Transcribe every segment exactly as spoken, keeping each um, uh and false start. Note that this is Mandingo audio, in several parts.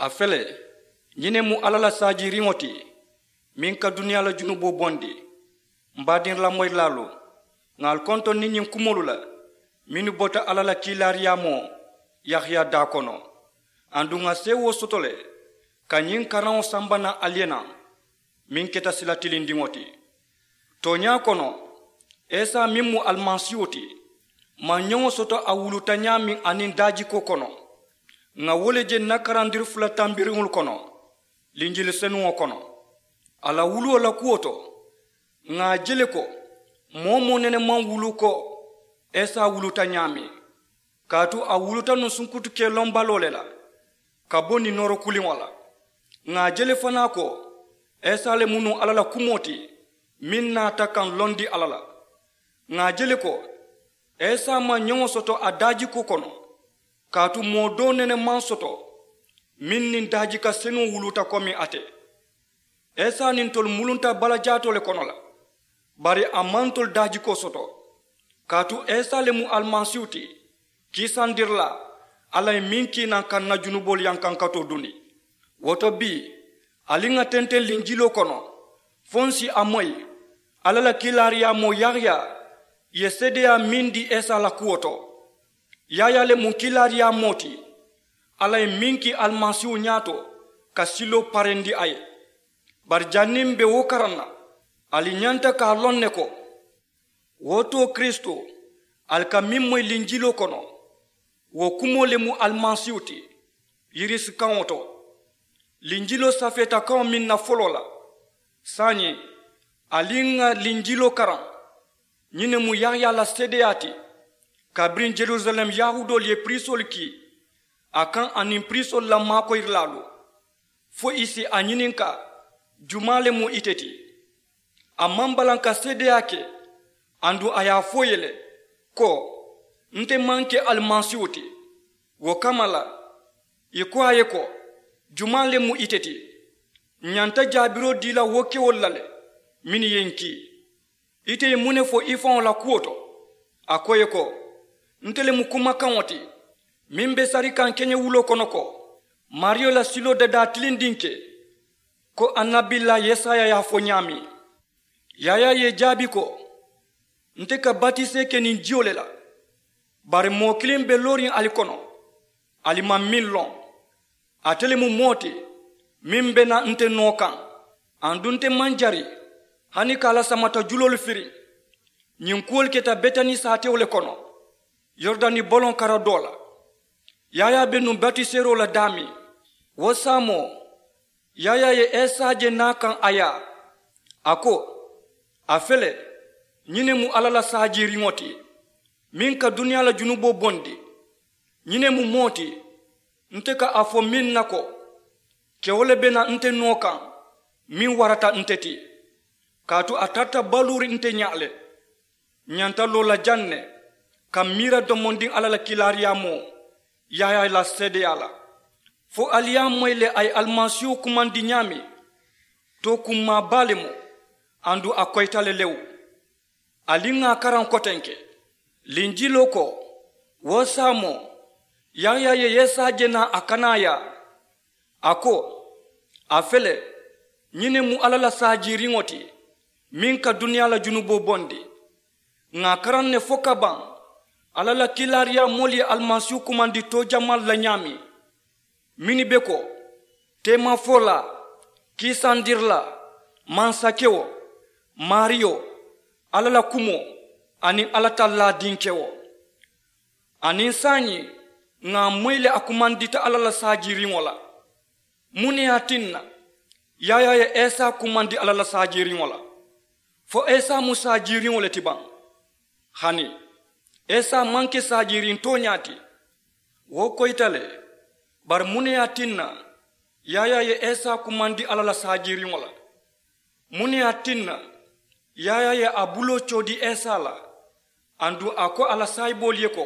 A fele, ñiŋ ne mu alla la saajiiriŋo ti, meŋ ka duniyaa la junuboo bondi. M baadiŋ lamoyirilaalu, ŋà ali kontoŋ niŋ ñiŋ kumoolu la mennu bota alla la kiilaariyaamoo yahiya daa kono. Aduŋ ŋà seewoo soto le ka ñiŋ karaŋo samba naŋ ali ye naŋ, meŋ keta sila tilindiŋo ti. Tooñaa kono, isa meŋ mu alimasiiwo ti, maŋ ñoŋo soto a wuluta ñaameŋ aniŋ daajikoo kono. Ŋà wo le je ǹ na karandiri fula tambiriŋolu kono, linjili senuŋo kono, a la wuluwo la kuwo to. Ŋà a je le ko moo-wo-moo nene maŋ wulu ko isa wuluta ñaameŋ, kaatu a wuluta nuŋ sunkutu kee loŋ baloo le la ka bo niŋ nooro kuliŋo la. Ŋà a je le fanaa ko isa le mu nuŋ alla la kumoo ti, meŋ naata ka ǹ londi alla la. Ŋà a je le ko isa maŋ ñoŋo soto a daajikoo kono, kaatu moo doo nene maŋ soto meŋ niŋ daajika senuŋo wuluta komi ate. Isa niŋ ntolu mulunta balajaatoo le kono la, bari a maŋ ntolu daajikoo soto. Kaatu isa le mu alimasiihu ti, kiisandirilaa alla ye meŋ kii naŋ ka ǹ na junuboolu yankankatoo dundi. Wo to bii, ali ŋà tenteŋ linjiloo kono fo ǹ si a moyi. Alla la kiilaariyaamoo yaayaa ye seedeyaa meŋ dii isa la kuwo to. Yaayaa le mu kiilaariyaamoo ti, alla ye meŋ kii alimasiihu ñaato ka siloo parendi a ye. Bari janniŋ m be wo karaŋ na, ali ñanta ka a loŋ ne ko wo too kirisitoo ali ka meŋ moyi linjiloo kono, wo kumoo le mu alimasiihu ti, yirisi kaŋo to, linjiloo safeeta kaŋo meŋ na foloo la. Saayiŋ, ali ŋà linjiloo karaŋ. Ñiŋ ne mu yaayaa la seedeyaa ti, kabiriŋ jerusalem yahuudoolu ye piriisoolu kii a kaŋ aniŋ piriisoolu la maakoyirilaalu, fo ì si a ñininkaa, jumaa le mu ite ti? A maŋ balaŋ ka seedeyaa ke, aduŋ a ye a fo ì ye le ko nte maŋ ke alimasiihu ti. Wo kamma la, ì ko a ye ko jumaa le mu ite ti? Ǹ ñanta jaabiroo dii la wo kewolu la le mennu ye ǹ kii. Ite ye muŋ ne fo i faŋo la kuwo to? A ko ì ye ko nte le mu kumakaŋo ti meŋ be sari kaŋ keñewuloo kono ko maariyo la siloo dadaa tilindiŋ ke, ko annabilaa yesaya ye a fo ñaameŋ. Yaayaa ye ì jaabi ko nte ka batisee ke niŋ jiyo le la, bari moo kiliŋ be looriŋ ali kono, ali maŋ meŋ loŋ. Ate le mu moo ti meŋ be naa nte noo kaŋ, aduŋ nte maŋ jari hani ka a la samata juloolu firiŋ. Ñiŋ kuwolu keta betani saatewo le kono, yoridani boloŋ kara doo la. Yaayaa be nuŋ batiseeroo la daameŋ. Wo saamoo, yaayaa ye isa je naa kaŋ a yaa, a ko a fele, ñiŋ ne mu alla la saajiiriŋo ti, meŋ ka duniyaa la junuboo bondi. Ñiŋ ne mu moo ti, nte ka a fo meŋ na ko kewo le be naa nte noo kaŋ meŋ warata nte ti, kaatu a tarata baluuriŋ nte ñaa le. Ǹ ñanta loo la jaŋ ne ka m̀ miira domondiŋ alla la kiilaariyaamoo yaayaa la seedeyaa la, fo ali ye a moyi le a ye alimasiihu kumandi ñaameŋ. Tookummaa baa le mu, aduŋ a koyita le lewu. Ali ŋà a karaŋ kotenke. Linjiloo ko, wo saamoo, yaayaa ye yesa je naa a kanaa yaa, a ko, a fele, ñiŋ ne mu alla la saajiiriŋo ti, meŋ ka duniyaa la junuboo bondi. Ŋà a karaŋ ne fo ka baŋ alla la kiilaariyaamoolu ye alimasiihu kumandi too jamaalu la ñaameŋ, mennu be ko, teemafolaa, kiisandirilaa, mansakewo, maariyo, alla la kumoo, aniŋ alla tallaa dinkewo. Aniŋ saayiŋ, ŋà a moyi le a kumandita alla la saajiiriŋo la. Muŋ ne ye a tinna yaayaa ye isa kumandi alla la saajiiriŋo la? Fo isa mu saajiiriŋo le ti baŋ? Hani, isa maŋ ke saajiiriŋ tooñaa ti. Wo koyita le. Bari muŋ ne ye a tinna yaayaa ye isa kumandi alla la saajiiriŋo la? Muŋ ne ye a tinna yaayaa ye a buloo coodi isa la, aduŋ a ko a la saayiboolu ye ko,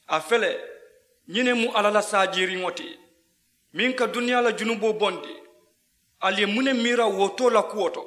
a fele, ñiŋ ne mu alla la saajiiriŋo ti, meŋ ka duniyaa la junuboo bondi? Ali ye muŋ ne miira wo too la kuwo to?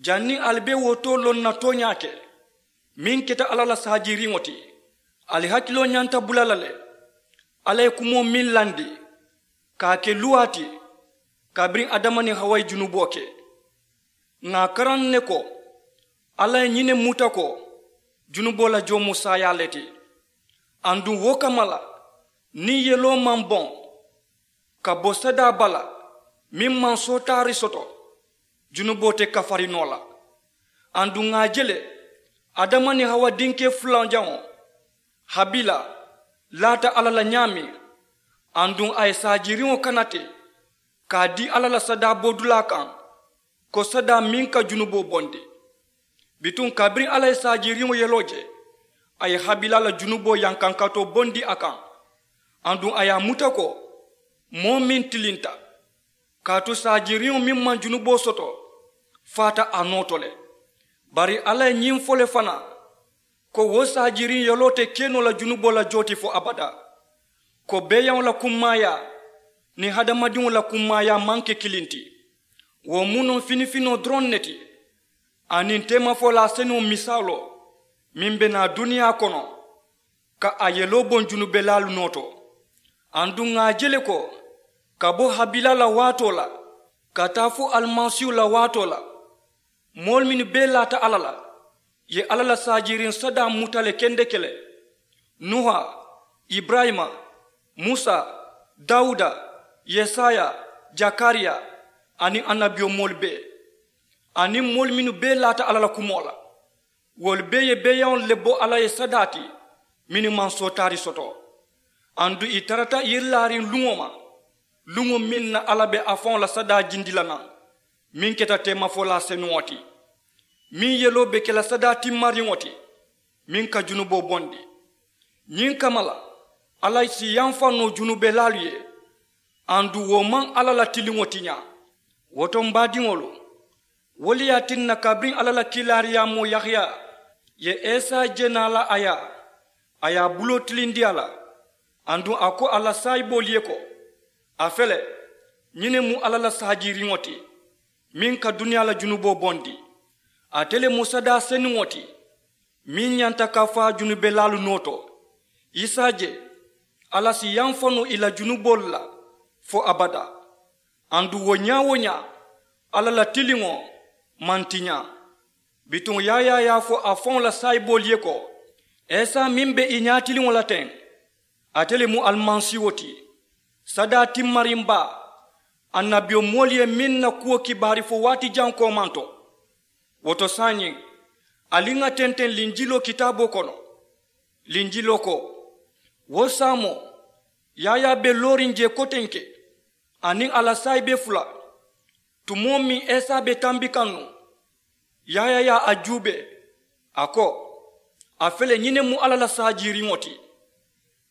Janniŋ ali be wo too loŋ na tooñaa ke, meŋ keta alla la saajiiriŋo ti, ali hakiloo ñanta bula la le. Alla ye kumoo meŋ landi, ka a ke luwaa ti. Kabiriŋ adama niŋ hawa ye junuboo ke, ŋà a karaŋ ne ko alla ye ñiŋ ne muta ko junuboo la joo mu saayaa le ti. Aduŋ wo kamma la, niŋ yeloo maŋ boŋ ka bo sadaa bala meŋ maŋ sootaari soto, junuboo te kafari noo la. Aduŋ ŋà a je le, adama niŋ hawa dinkee fulanjaŋo, habila, laata alla la ñaameŋ, aduŋ a ye saajiiriŋo kana te ka a dii alla la sadaa bodulaa kaŋ, ko sadaa meŋ ka junuboo bondi. Bituŋ kabiriŋ alla ye saajiiriŋo yeloo je, a ye habila la junuboo yankankatoo bondi a kaŋ. Aduŋ a ye a muta ko moo meŋ tilinta, kaatu saajiiriŋo meŋ maŋ junuboo soto faata a noo to le. Bari alla ye ñiŋ fo le fanaa, ko wo saajiiriŋ yeloo te ke noo la junuboo la joo ti fo abadaa. Ko beeyaŋo la kummaayaa niŋ hadamadiŋo la kummaayaa maŋ ke kiliŋ ti. Wo mu noo finifinoo doroŋ ne ti, aniŋ teemafolaa senuŋo misaaloo meŋ be naa duniyaa kono, ka a yeloo boŋ junubelaalu noo to. Aduŋ ŋà a je le ko ka bo habila la waatoo la ka taa fo alimasiihu la waatoo la, moolu mennu bee laata alla la ye alla la saajiiriŋ sadaa muta le kendeke le. Nuha, iburayima, musa, dawuda, yesaya, jakariya, aniŋ annabiyomoolu bee, aniŋ moolu mennu bee laata alla la kumoo la. Wolu bee ye beeyaŋolu le bo alla ye sadaa ti mennu maŋ sootaari soto. Aduŋ ì tarata yirilaariŋ luŋo ma, luŋo meŋ na alla be a faŋo la sadaa jindi la naŋ, meŋ keta teemafolaa senuŋo ti, meŋ yeloo be ke la sadaa timmariŋo ti, meŋ ka junuboo bondi. Ñiŋ kamma la, alla si yamfa noo junubelaalu ye, aduŋ wo maŋ alla la tiliŋo tiñaa. Wo to m baadiŋolu, wo le ye a tinna kabiriŋ alla la kiilaariyaamoo yahaya ye isa je naa la a ye, a ye a buloo tilindi a la, aduŋ a ko a la saayiboolu ye ko, a fele, ñiŋ ne mu alla la saajiiriŋo ti, meŋ ka duniyaa la junuboo bondi. Ate le mu sadaa senuŋo ti, meŋ ñanta ka faa junubelaalu noo to. Isa je, alla si yamfa noo ì la junuboolu la fo abadaa. Aduŋ wo ñaa-wo-ñaa, alla la tiliŋo maŋ tiñaa. Bituŋ yaayaa ye a fo a faŋo la saayiboolu ye ko, isa meŋ be ì ñaatiliŋo la teŋ, ate le mu alimasiiho ti, sadaa timmariŋ baa, annabiyomoolu ye meŋ na kuwo kibaari fo waati jaŋ koomanto. Wo to saayiŋ, ali ŋà tenteŋ linjiloo kitaaboo kono. Linjiloo ko, wo saamoo, yaayaa be looriŋ jee kotenke, aniŋ a la saayibe fula. Tumoo meŋ isa be tambi kaŋ nuŋ, yaayaa ye a juubee, a ko, a fele, ñiŋ ne mu alla la saajiiriŋo ti.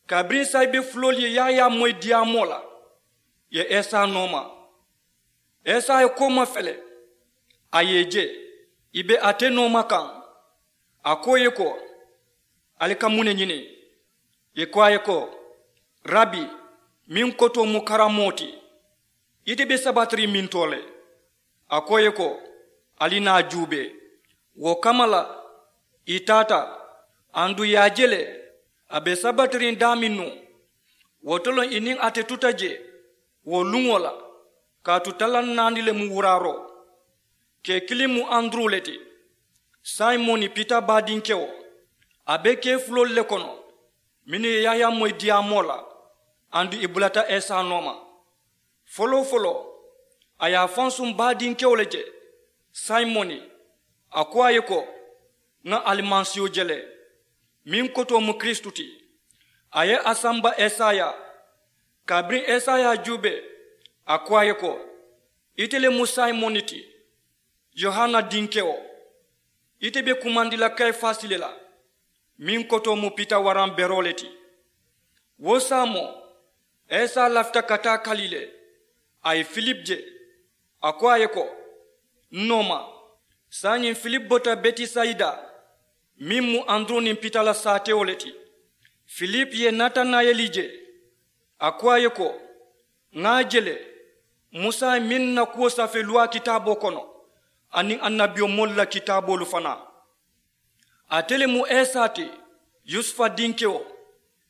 Kabiriŋ saayibe fuloolu ye yaayaa moyi diyaamoo la, ì ye isa nooma. Isa ye kooma fele, a ye ì je, ì be ate nooma kaŋ. A ko ì ye ko, ali ka muŋ ne ñini? Ì ko a ye ko, rabi, meŋ kotoo mu karamoo ti, ite be sabatiriŋ mintoo le? A ko ì ye ko, ali naa juubee. Wo kamma la, ì taata, aduŋ ì ye a je le, a be sabatiriŋ daameŋ nuŋ. Wo to loŋ ì niŋ ate tuta jee wo luŋo la, kaatu talaŋ naani le mu wuraaroo. Kee kiliŋ mu anduru le ti, simoni pita baadinkewo. A be kee fuloolu le kono, mennu ye yaayaa moyi diyaamoo la, aduŋ ì bulata isa nooma. Foloo-foloo, a ye a fansuŋ baadinkewo le je, simoni. A ko a ye ko, ŋà alimasiiho je le, meŋ kotoo mu kiristu ti. A ye a samba isa ye. Kabiriŋ isa ye a juubee, a ko a ye ko, ite le mu simoni ti, yohana dinkewo. Ite be kumandi la kayifasi le la, meŋ kotoo mu pita waraŋ beroo le ti. Wo saamoo, isa lafita ka taa kalile. A ye filipu je, a ko a ye ko, n nooma. Saayiŋ filipu bota betisayida, meŋ mu anduru niŋ pita la saatewo le ti. Filipu ye natanayeli je, a ko a ye ko, ŋà a je le, musa ye meŋ na kuwo safee luwaa kitaaboo kono, aniŋ annabiyomoolu la kitaaboolu fanaa. Ate le mu isa ti, yusufa dinkewo,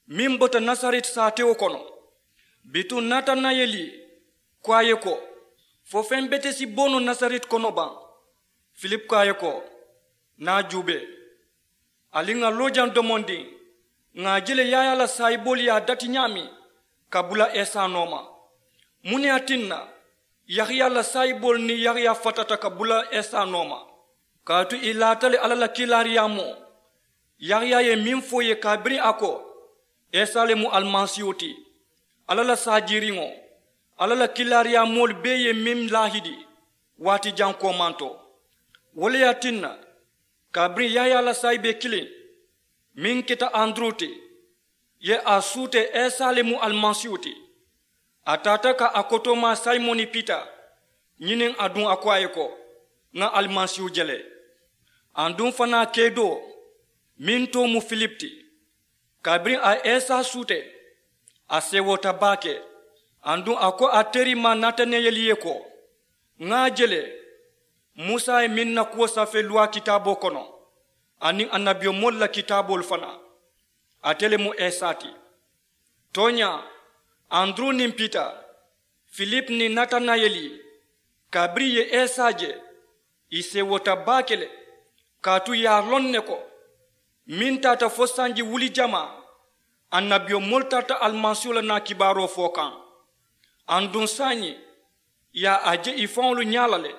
meŋ bota nasareti saatewo kono. Bituŋ natanayeli ko a ye ko, fo feŋ bete si bo noo nasareti kono baŋ? Filipu ko a ye ko, ŋa a juubee. Ali ŋa loo jaŋ domondiŋ, ŋa a je le yaayaa la saayiboolu ye a dati ñaameŋ ka bula esa nooma. Muŋ ne ye a tinna yaayaa la saayiboolu niŋ yaayaa fatata ka bula esa nooma? Kaatu ì laata le alla la kiilaariyaamoo yaayaa ye meŋ fo ì ye kabiriŋ a ko esa le mu alimasiihu ti, alla la saajiiriŋo, alla la kiilaariyaamoolu bee ye meŋ laahidi waati jaŋ koomanto. Wo le ye a tinna kabiriŋ yaayaa la saayibee kiliŋ meŋ keta anduru ti, ì ye a suutee esa le mu alimasiihu ti. A taata ka a kotoomaa simoni pita ñiniŋ aduŋ a ko a ye ko, ŋa alimasiihu je le. Aduŋ fanaa keedoo meŋ too mu filipu ti. Kabiriŋ a ye esa suutee, a seewoota baake. Aduŋ a ko a terimaa natanayeli ye ko, ŋa a je le, musa ye meŋ na kuwo safee luwaa kitaaboo kono aniŋ annabiyomoolu la kitaaboolu fanaa, ate le mu esa ti. Tooñaa, anduru niŋ pita, filipu niŋ natanayeli, kabiriŋ ì ye esa je, ì seewoota baake le. Kaatu ì ye a loŋ ne ko meŋ taata fo sanji wuli jamaa, annabiyomoolu tarata alimasiihu la naa kibaaroo fo kaŋ. Aduŋ saayiŋ ì ye a je ì faŋolu ñaa la le,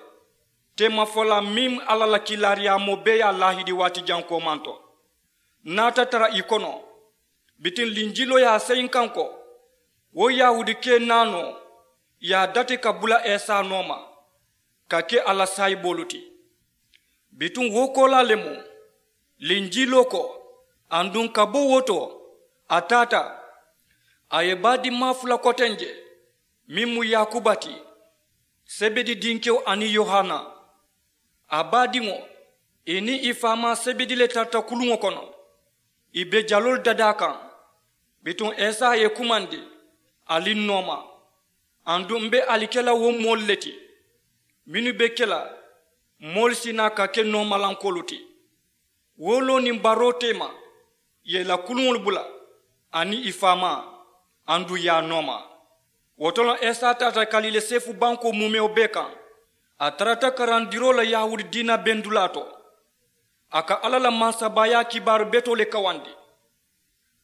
teemafolaa meŋ alla la kiilaariyaamoo bee ye a laahidi waati jaŋ koomanto. Naata tara ì kono. Bituŋ linjiloo ye a seyi n kaŋ ko, wo yahuudi kee naanoo ye a dati ka bula esa nooma ka ke a la saayiboolu ti. Bituŋ wo koolaa le mu linjiloo ko. Aduŋ ka bo wo to, a taata, a ye baa dimmaa fula koteŋ je, meŋ mu yaakuba ti, sebedi dinkewo aniŋ yohana. A baadiŋo, ì niŋ ì faamaa sebedi le tarata kuluŋo kono, ì be jaloolu dadaa kaŋ. Bituŋ esa ye kumandi, ali n nooma. Aduŋ m be ali ke la wo moolu le ti mennu be ke la moolu si naa ka ke noomalankoolu ti. Wooloo niŋ baroo teema, ì ye ì la kuluŋolu bula aniŋ ì faamaa, aduŋ ì ye a nooma. Wo to loŋ esa taata kalile seefu bankoo muumewo bee kaŋ. A tarata karandiroo la yahuudi diina bendulaa to. A ka alla la mansabaayaa kibaaru betoo le kawandi.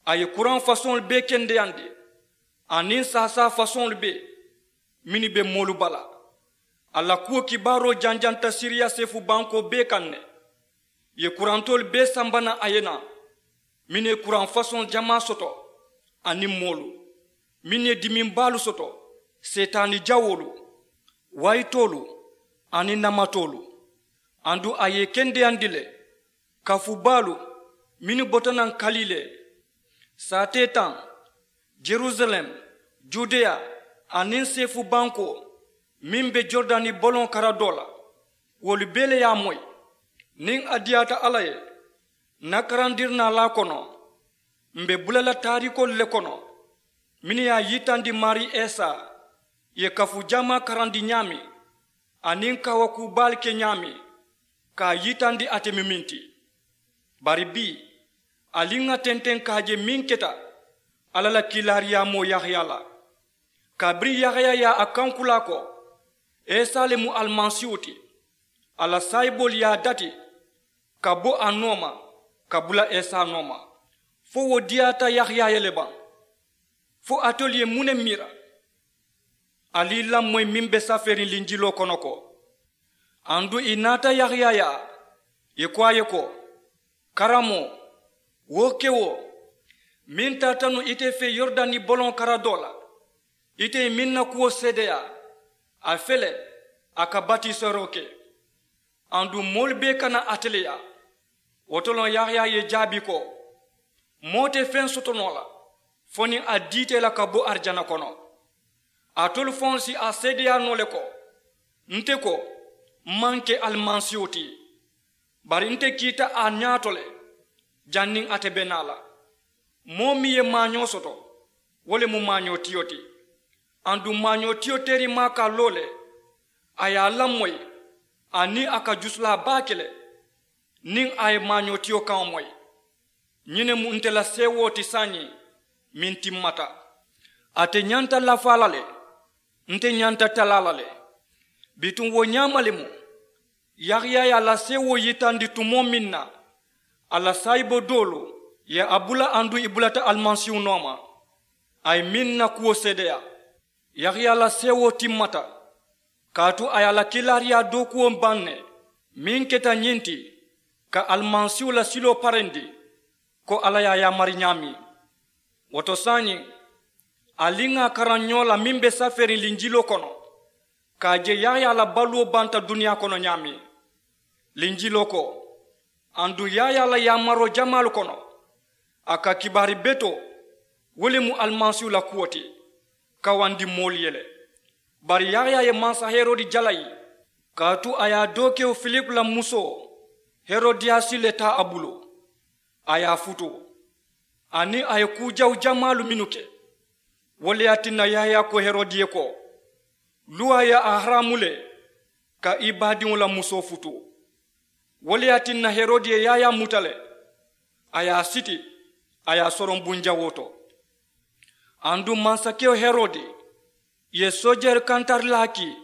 A ye kuraŋ fasoŋolu bee kendeyandi aniŋ saasaa fasoŋolu bee mennu be moolu bala. A la kuwo kibaaroo janjanta siriya seefu bankoo bee kaŋ ne. Ì ye kurantoolu bee samba naŋ a ye naa, mennu ye kuraŋ fasoŋ jamaa soto, aniŋ moolu mennu ye dimiŋ baalu soto, seetaani jawoolu, wayitoolu, aniŋ namatoolu. Aduŋ a ye ì kendeyandi le kafu baalu mennu bota naŋ kalile, saatee taŋ, jerusalem, judeya, aniŋ seefu bankoo meŋ be joridani boloŋ karadoo la. Wolu bee le ye a moyi. Niŋ a diyaata alla ye, n na karandirinaalaa kono, m be bula la taariikoolu le kono mennu ye a yitandi maarii esa ye kafu jamaa karandi ñaameŋ, aniŋ kaawakuu baalu ke ñaameŋ ka a yitandi ate mu meŋ ti. Bari bii, ali ŋà tenteŋ ka a je meŋ keta alla la kiilaariyaamoo yahaya la. Kabiriŋ yahaya ye a kankulaa ko, esa le mu alimasiihu ti, a la saayiboolu ye a dati ka bo a nooma, ka bula esa nooma. Fo wo diyaata yahaya ye le baŋ? Fo alitolu ye muŋ ne miira? Ali i lamoyi meŋ be safeeriŋ linjiloo kono ko, aduŋ ì naata yahaya yaa, ì ko a ye ko, karammoo, wo kewo meŋ taata nuŋ ite fee yoridani boloŋ karadoo la, ite ye meŋ na kuwo seedeyaa, a fele, a ka batisooroo ke. Aduŋ moolu bee kana ate le yaa. Wo to loŋ yahaya ye jaabi ko, moo te feŋ soto noo la fo niŋ a diita ì la ka bo arijana kono. Alitolu faŋolu si a seedeyaa noo le ko, nte ko, m maŋ ke alimasiihu ti, bari nte kiita a ñaato le janniŋ ate be naa la. Moo meŋ ye maañoo soto, wo le mu maañootiyo ti. Aduŋ maañootiyo teerimaa ka a loo le, a ye a lamoyi, aniŋ a ka jusulaa baa ke le niŋ a ye maañootiyo kaŋo moyi. Ñiŋ ne mu nte la seewoo ti saayiŋ meŋ timmata. Ate ñanta lafaa la le, nte ñanta talaa la le. Bituŋ wo ñaama le mu yahaya ye a la seewoo yitandi tumoo meŋ na, a la saayibo doolu ye a bula aduŋ ì bulata alimasiihu nooma. A ye meŋ na kuwo seedeyaa, yahaya la seewoo timmata, kaatu a ye a la kiilaariyaa dookuwo baŋ ne, meŋ keta ñiŋ ti, ka alimasiihu la siloo parendi, ko alla ye a yaamari ñaameŋ. Wo to saayiŋ, ali ŋà a karaŋ ñoo la meŋ be safeeriŋ linjiloo kono, ka a je yahaya la baluwo banta duniyaa kono ñaameŋ. Linjiloo ko, aduŋ yahaya la yaamaroo jamaalu kono, a ka kibaari betoo, wo le mu alimasiihu la kuwo ti, kawandi moolu ye le. Bari yahaya ye mansa herodi jalayi, kaatu a ye a dookewo filipu la musoo herodiyasi le taa a bulu, a ye a futuu, aniŋ a ye kuu jawu jamaalu mennu ke. Wo le ye a tinna yahaya ko herodi ye ko, luwaa ye a haraamu le ka i baadiŋo la musoo futuu. Wo le ye a tinna herodi ye yahaya muta le, a ye a siti, a ye a soroŋ bunjawoo to. Aduŋ mansakewo herodi ye soojeeri kantarilaa kii,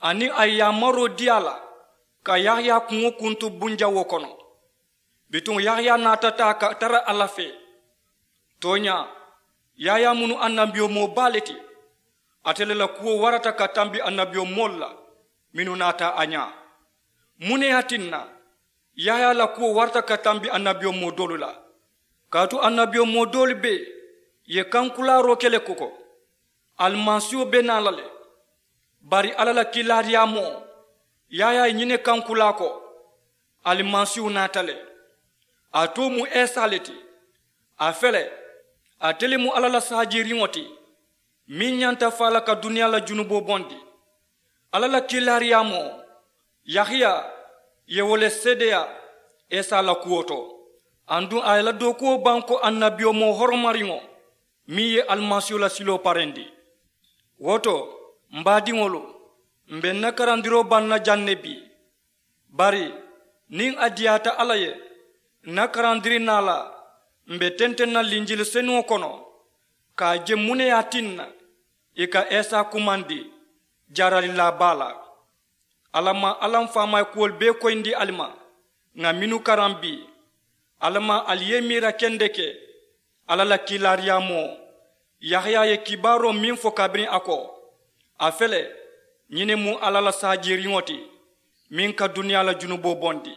aniŋ a ye yaamaroo dii a la ka yahaya kuŋo kuntu bunjawoo kono. Bituŋ yahaya naata taa ka tara alla fee. Tooñaa, yahaya mu annabiyomoo baa le ti. Ate le la kuwo warata ka tambi annabiyomoolu la mennu naata a ñaa. Muŋ ne ye a tinna yahaya la kuwo warata ka tambi annabiyomoo doolu la? Kaatu annabiyomoo doolu bee ye kankulaaroo ke le ko ko alimasiiho be naa la le. Bari alla la kiilaariyaamoo, yahaya ye ñiŋ ne kankulaa ko alimasiiho naata le. A too mu isa le ti. A fele, ate le mu alla la saajiiriŋo ti, meŋ ñanta faa la ka duniyaa la junuboo bondi. Alla la kiilaariyaamoo, yahaya ye wo le seedeyaa isa la kuwo to. Aduŋ a ye la dookuwo baŋ ko annabiyomoo horomariŋo, meŋ ye alimasiihu la siloo parendi. Wo to, m baadiŋolu, m be n na karandiroo baŋ na jaŋ ne bii. Bari niŋ a diyaata alla ye, n na karandiri naa la, m be tenteŋ na linjili senuŋo kono ka a je muŋ ne ye a tinna ì ka isa kumandi jaaralilaa baa la. Alla maŋ alla m faamaayi kuwolu bee koyindi ali ma, ŋà mennu karaŋ bii. Alla maŋ ali ye miira kendeke alla la kiilaariyaamoo, yahaya ye kibaaroo meŋ fo kabiriŋ a ko, a fele, ñiŋ ne mu alla la saajiiriŋo ti, meŋ ka duniyaa la junuboo bondi.